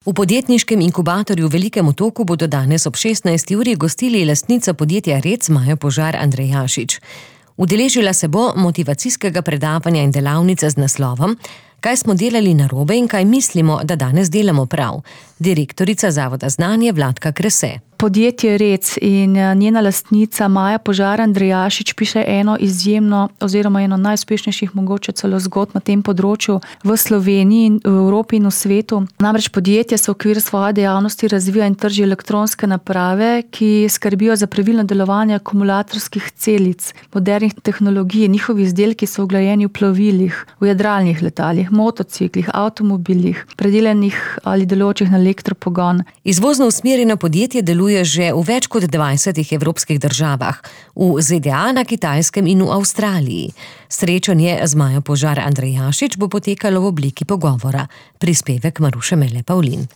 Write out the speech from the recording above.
V podjetniškem inkubatorju v Velikem Otoku bodo danes ob 16. uri gostili lastnica podjetja Rec Maja Požar Andrejašič. Udeležila se bo motivacijskega predavanja in delavnice z naslovom Kaj smo delali narobe in kaj mislimo, da danes delamo prav. Direktorica Zavoda Znanje Vladka Krese. Podjetje Rec in njena lastnica Maja Požar Andrejašič piše eno izjemno oziroma eno najuspešnejših mogoče celo zgodb na tem področju v Sloveniji, v Evropi in v svetu. Namreč podjetje se v okviru svoje dejavnosti razvija in trži elektronske naprave, ki skrbijo za pravilno delovanje akumulatorskih celic, modernih tehnologij. Njihovi izdelki so vgrajeni v plovilih, v jadralnih letalih, motociklih, avtomobilih, predelanih ali delujočih na elektropogon. Izvozno usmerjeno podjetje deluje že v več kot 20 evropskih državah, v ZDA, na Kitajskem in v Avstraliji. Srečanje z Majo Požar Andrejašič bo potekalo v obliki pogovora. Prispevek Maruše Mele Pavlin.